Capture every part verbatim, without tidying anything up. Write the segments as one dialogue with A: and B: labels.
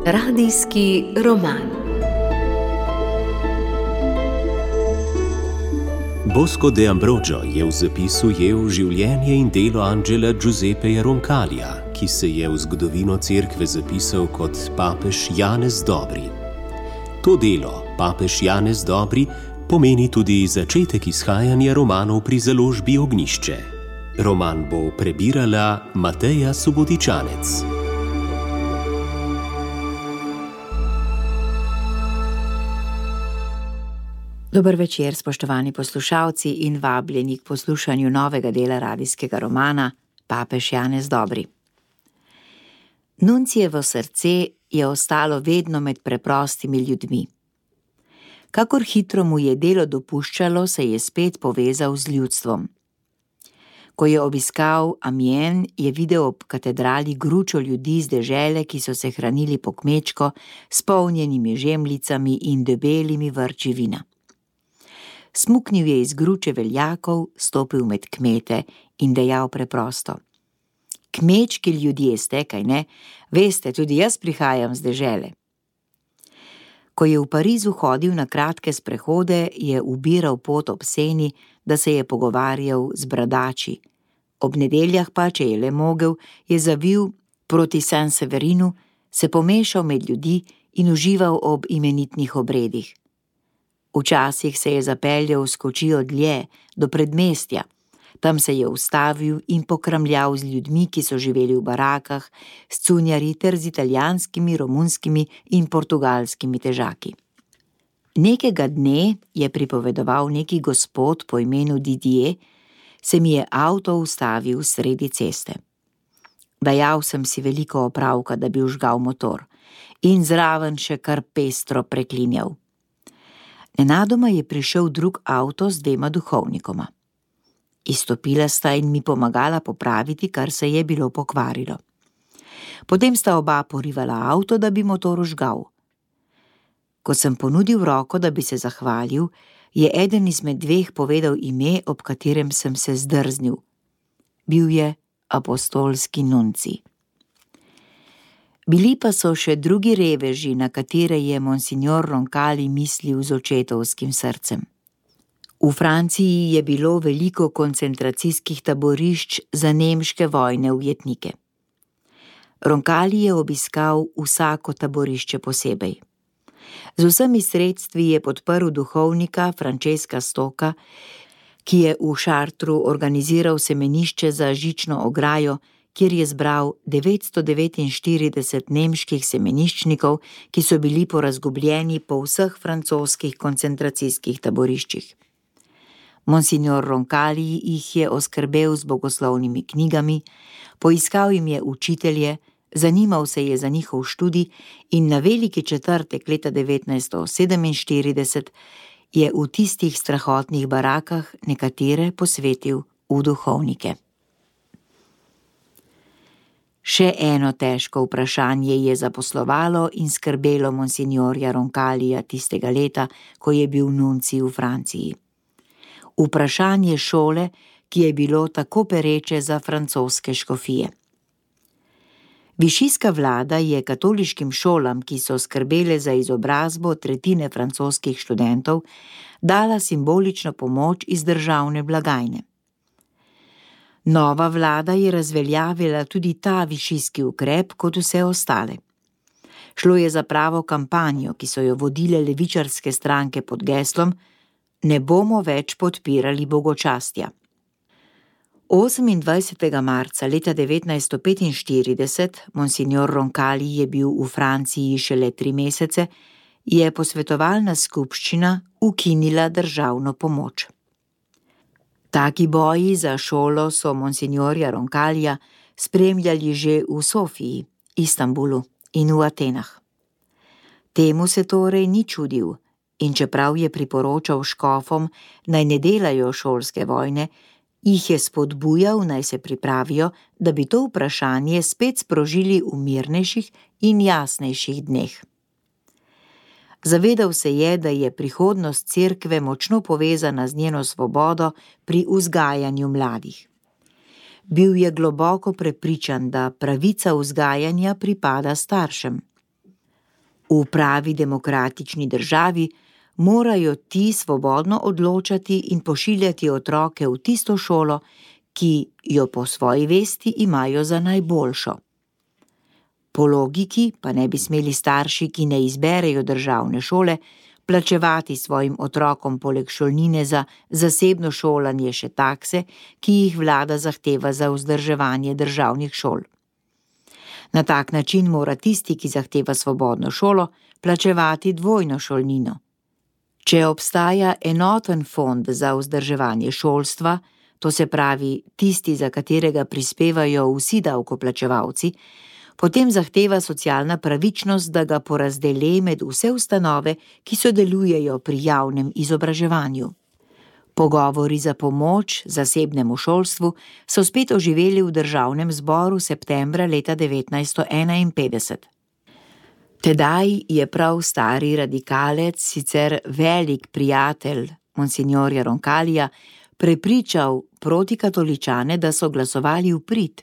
A: Radijski roman.
B: Bosco de Ambrogio je v zapisu ujel življenje in delo Angela Giuseppeja Roncalija, ki se je v zgodovino cerkve zapisal kot papež Janez Dobri. To delo, papež Janez Dobri, pomeni tudi začetek izhajanja romanov pri založbi Ognjišče. Roman bo prebirala Mateja Subotičanec.
C: Dober večer, spoštovani poslušalci in vabljeni k poslušanju novega dela radijskega romana Papež Janez Dobri. Nuncijevo srce je ostalo vedno med preprostimi ljudmi. Kakor hitro mu je delo dopuščalo, se je spet povezal z ljudstvom. Ko je obiskal Amiens, je videl ob katedrali gručo ljudi z dežele, ki so se hranili po kmečko s polnjenimi žemljicami in debelimi vrči vina. Smuknil je iz gruče veljakov, stopil med kmete in dejal preprosto: Kmečki ljudje ste, kaj ne? Veste, tudi jaz prihajam z dežele. Ko je v Parizu hodil na kratke sprehode, je ubiral pot ob Seni, da se je pogovarjal z bradači. Ob nedeljah pa, če je le mogel, je zavil proti Saint-Severinu, se pomešal med ljudi in užival ob imenitnih obredih. Včasih se je zapeljal s kočijo dlje, do predmestja. Tam se je ustavil in pokramljal z ljudmi, ki so živeli v barakah, s cunjarji ter z italijanskimi, romunskimi in portugalskimi težaki. Nekega dne, je pripovedoval neki gospod po imenu Didier, se mi je avto ustavil sredi ceste. Dajal sem si veliko opravka, da bi vžgal motor, in zraven še kar pestro preklinjal. Nenadoma je prišel drug avto z dvema duhovnikoma. Izstopila sta in mi pomagala popraviti, kar se je bilo pokvarilo. Potem sta oba porivala avto, da bi motor vžgal. Ko sem ponudil roko, da bi se zahvalil, je eden izmed dveh povedal ime, ob katerem sem se zdrznil. Bil je apostolski nuncij. Bili pa so še drugi reveži, na katere je monsignor Roncalij mislil z očetovskim srcem. V Franciji je bilo veliko koncentracijskih taborišč za nemške vojne ujetnike. Roncalij je obiskal vsako taborišče posebej. Z vsemi sredstvi je podprl duhovnika Francesca Stocca, ki je v Chartru organiziral semenišče za žično ograjo, kjer je zbral devetsto devetinštirideset nemških semeniščnikov, ki so bili porazgubljeni po vseh francoskih koncentracijskih taboriščih. Monsignor Roncalij jih je oskrbel z bogoslovnimi knjigami, poiskal jim je učitelje, zanimal se je za njihov študij in na veliki četrtek leta devetnajststo sedeminštirideset je v tistih strahotnih barakah nekatere posvetil v duhovnike. Še eno težko vprašanje je zaposlovalo in skrbelo monsignorja Roncalija tistega leta, ko je bil nuncij v Franciji. Vprašanje šole, ki je bilo tako pereče za francoske škofije. Višijska vlada je katoliškim šolam, ki so skrbele za izobrazbo tretjine francoskih študentov, dala simbolično pomoč iz državne blagajne. Nova vlada je razveljavila tudi ta višijski ukrep kot vse ostale. Šlo je za pravo kampanjo, ki so jo vodile levičarske stranke pod geslom Ne bomo več podpirali bogočastja. osemindvajsetega marca leta devetnajststo petinštirideset, monsignor Roncalij je bil v Franciji šele tri mesece, je posvetovalna skupščina ukinila državno pomoč. Taki boji za šolo so monsignorja Roncalija spremljali že v Sofiji, Istanbulu in v Atenah. Temu se torej ni čudil in čeprav je priporočal škofom, naj ne delajo šolske vojne, jih je spodbujal, naj se pripravijo, da bi to vprašanje spet sprožili v mirnejših in jasnejših dneh. Zavedal se je, da je prihodnost cerkve močno povezana z njeno svobodo pri vzgajanju mladih. Bil je globoko prepričan, da pravica vzgajanja pripada staršem. V pravi demokratični državi morajo ti svobodno odločati in pošiljati otroke v tisto šolo, ki jo po svoji vesti imajo za najboljšo. Po logiki pa ne bi smeli starši, ki ne izberejo državne šole, plačevati svojim otrokom poleg šolnine za zasebno šolanje še takse, ki jih vlada zahteva za vzdrževanje državnih šol. Na tak način mora tisti, ki zahteva svobodno šolo, plačevati dvojno šolnino. Če obstaja enoten fond za vzdrževanje šolstva, to se pravi tisti, za katerega prispevajo vsi davkoplačevalci, potem zahteva socialna pravičnost, da ga porazdeli med vse ustanove, ki sodelujejo pri javnem izobraževanju. Pogovori za pomoč zasebnemu šolstvu so spet oživeli v državnem zboru septembra leta devetnajststo enainpetdeset. Tedaj je prav stari radikalec, sicer velik prijatelj monsignorja Roncalija, prepričal protikatoličane, da so glasovali v prid.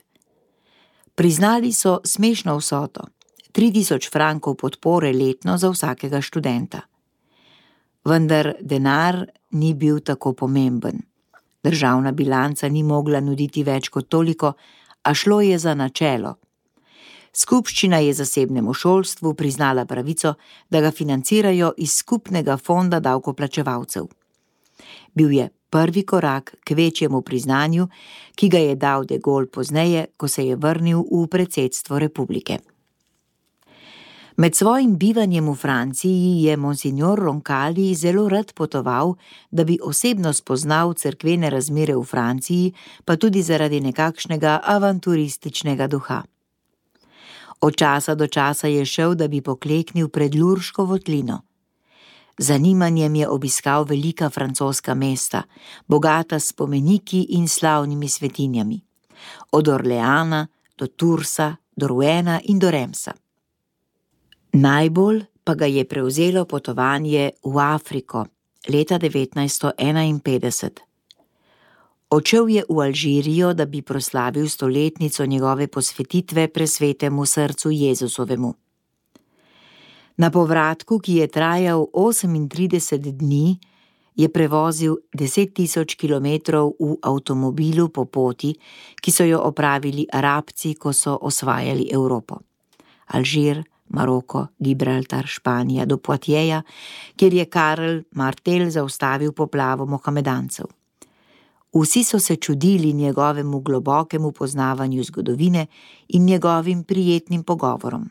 C: Priznali so smešno vsoto, tri tisoč frankov podpore letno za vsakega študenta. Vendar denar ni bil tako pomemben. Državna bilanca ni mogla nuditi več kot toliko, a šlo je za načelo. Skupščina je zasebnemu šolstvu priznala pravico, da ga financirajo iz skupnega fonda davkoplačevalcev. Bil je prvi korak k večjemu priznanju, ki ga je dal de Gaulle pozneje, ko se je vrnil v predsedstvo republike. Med svojim bivanjem v Franciji je monsignor Roncalli zelo rad potoval, da bi osebno spoznal cerkvene razmere v Franciji, pa tudi zaradi nekakšnega avanturističnega duha. Od časa do časa je šel, da bi pokleknil pred Lurško votlino. Zanimanjem je obiskal velika francoska mesta, bogata s spomeniki in slavnimi svetinjami. Od Orleana do Toursa, do Rouena in do Remsa. Najbolj pa ga je prevzelo potovanje v Afriko leta devetnajststo enainpetdeset. Odšel je v Alžirijo, da bi proslavil stoletnico njegove posvetitve presvetemu srcu Jezusovemu. Na povratku, ki je trajal osemintrideset dni, je prevozil deset tisoč kilometrov v avtomobilu po poti, ki so jo opravili Arabci, ko so osvajali Evropo. Alžir, Maroko, Gibraltar, Španija, do Poitieja, kjer je Karl Martel zaustavil poplavo mohamedancev. Vsi so se čudili njegovemu globokemu poznavanju zgodovine in njegovim prijetnim pogovorom.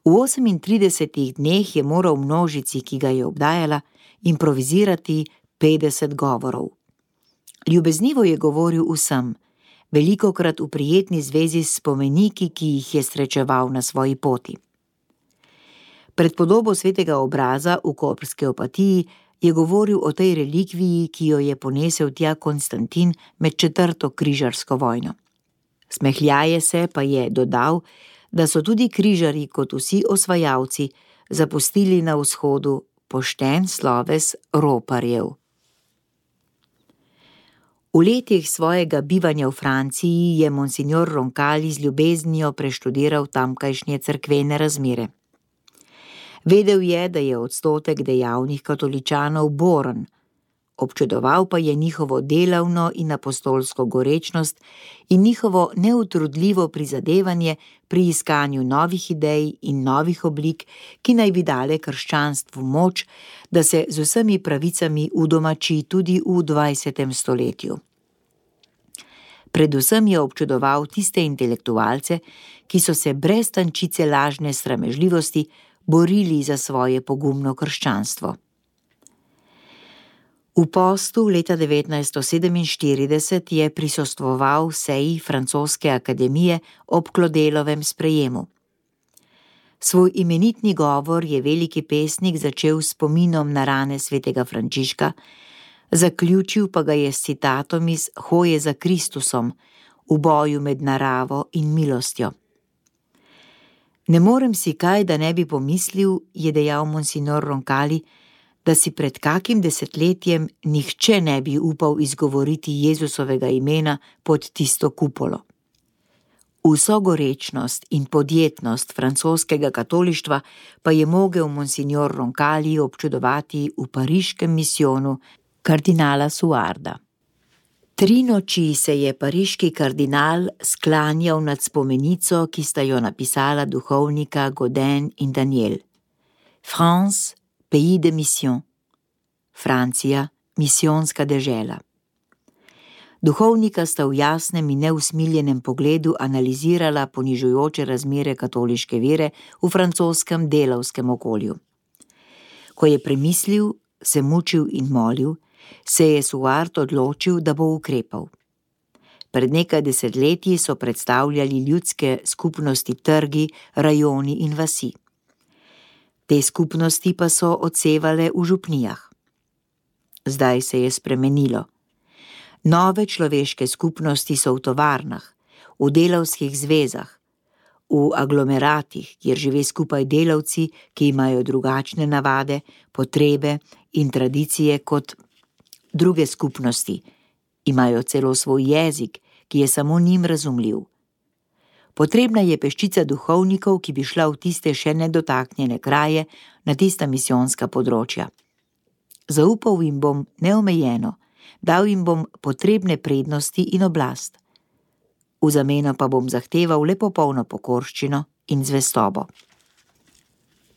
C: V osemintridesetih dneh je moral množici, ki ga je obdajala, improvizirati petdeset govorov. Ljubeznivo je govoril vsem, velikokrat v prijetni zvezi s spomeniki, ki jih je srečeval na svoji poti. Pred podobo svetega obraza v koprski Opatiji je govoril o tej relikviji, ki jo je ponesel tja Konstantin med četrto križarsko vojno. Smehljaje se pa je dodal, da so tudi križarji, kot vsi osvajalci, zapustili na vzhodu pošten sloves roparjev. V letih svojega bivanja v Franciji je monsignor Roncalli z ljubeznijo preštudiral tamkajšnje cerkvene razmere. Vedel je, da je odstotek dejavnih katoličanov boren, občudoval pa je njihovo delavno in apostolsko gorečnost in njihovo neutrudljivo prizadevanje pri iskanju novih idej in novih oblik, ki naj bi dale krščanstvu moč, da se z vsemi pravicami udomači tudi v dvajsetem stoletju. Predvsem je občudoval tiste intelektualce, ki so se brez tančice lažne sramežljivosti borili za svoje pogumno krščanstvo. V postu leta devetnajststo sedeminštirideset je prisostvoval seji francoske akademije ob Klodelovem sprejemu. Svoj imenitni govor je veliki pesnik začel s spominom na rane svetega Frančiška, zaključil pa ga je s citatom iz Hoje za Kristusom, v boju med naravo in milostjo. Ne morem si kaj, da ne bi pomislil, je dejal monsignor Roncalli, da si pred kakim desetletjem nihče ne bi upal izgovoriti Jezusovega imena pod tisto kupolo. Vso gorečnost in podjetnost francoskega katolištva pa je mogel monsignor Roncalli občudovati v pariškem misijonu kardinala Suarda. Tri noči se je pariški kardinal sklanjal nad spomenico, ki sta jo napisala duhovnika Gaudin in Daniel. France, pays de mission. Francija, misijonska dežela. Duhovnika sta v jasnem in neusmiljenem pogledu analizirala ponižujoče razmere katoliške vere v francoskem delavskem okolju. Ko je premislil, se mučil in molil, se je Suard odločil, da bo ukrepal. Pred nekaj desetletji so predstavljali ljudske skupnosti trgi, rajoni in vasi. Te skupnosti pa so odsevale v župnijah. Zdaj se je spremenilo. Nove človeške skupnosti so v tovarnah, v delavskih zvezah, v aglomeratih, kjer žive skupaj delavci, ki imajo drugačne navade, potrebe in tradicije kot druge skupnosti, imajo celo svoj jezik, ki je samo njim razumljiv. Potrebna je peščica duhovnikov, ki bi šla v tiste še nedotaknjene kraje, na tista misijonska področja. Zaupal jim bom neomejeno, dal jim bom potrebne prednosti in oblast. V zameno pa bom zahteval le popolno pokorščino in zvestobo.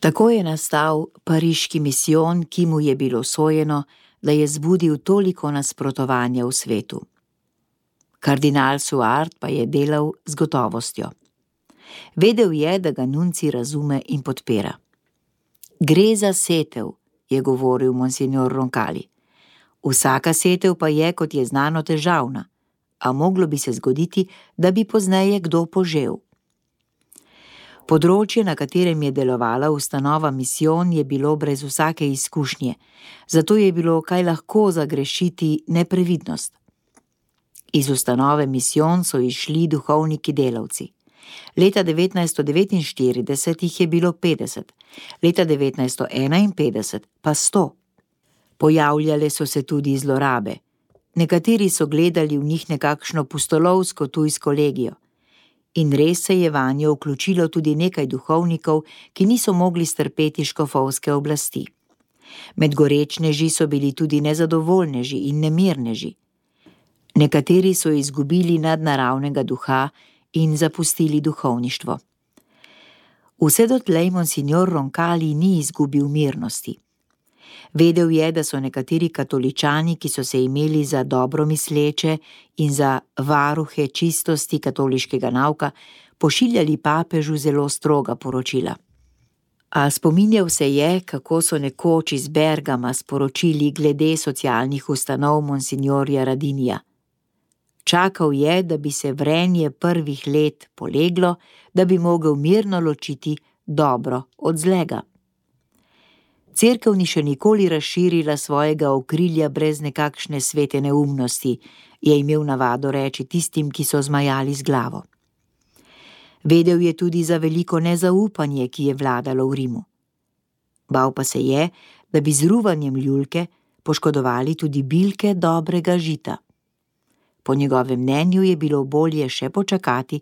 C: Tako je nastal pariški misijon, ki mu je bilo sojeno, da je zbudil toliko nasprotovanja v svetu. Kardinal Suard pa je delal z gotovostjo. Vedel je, da ga nunci razume in podpira. Gre za setev, je govoril monsignor Roncalli. Vsaka setev pa je, kot je znano, težavna, a moglo bi se zgoditi, da bi pozneje kdo požel. Področje, na katerem je delovala ustanova misijon, je bilo brez vsake izkušnje, zato je bilo kaj lahko zagrešiti neprevidnost. Iz ustanove misijon so izšli duhovniki delavci. Leta devetnajststo devetinštirideset jih je bilo petdeset, leta devetnajststo enainpetdeset pa sto. Pojavljale so se tudi zlorabe. Nekateri so gledali v njih nekakšno pustolovsko tujsko legijo. In res se je vanjo vključilo tudi nekaj duhovnikov, ki niso mogli strpeti škofovske oblasti. Med gorečneži so bili tudi nezadovoljneži in nemirneži. Nekateri so izgubili nadnaravnega duha in zapustili duhovništvo. Vse dotlej monsignor Roncalli ni izgubil mirnosti. Vedel je, da so nekateri katoličani, ki so se imeli za dobro misleče in za varuhe čistosti katoliškega nauka, pošiljali papežu zelo stroga poročila. A spominjal se je, kako so nekoč iz Bergama sporočili glede socialnih ustanov monsignorja Radinija. Čakal je, da bi se vrenje prvih let poleglo, da bi mogel mirno ločiti dobro od zlega. Cerkev ni še nikoli razširila svojega okrilja brez nekakšne svete neumnosti, je imel navado reči tistim, ki so zmajali z glavo. Vedel je tudi za veliko nezaupanje, ki je vladalo v Rimu. Bal pa se je, da bi z ruvanjem ljulke poškodovali tudi bilke dobrega žita. Po njegovem mnenju je bilo bolje še počakati,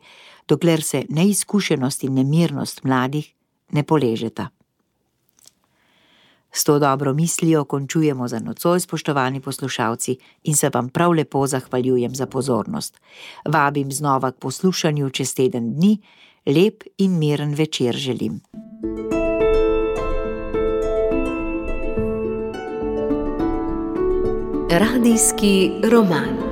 C: dokler se neizkušenost in nemirnost mladih ne poležeta. S to dobro mislijo končujemo za nocoj, spoštovani poslušalci, in se vam prav lepo zahvaljujem za pozornost. Vabim znova k poslušanju čez teden dni, lep in miren večer želim.
A: Radijski roman.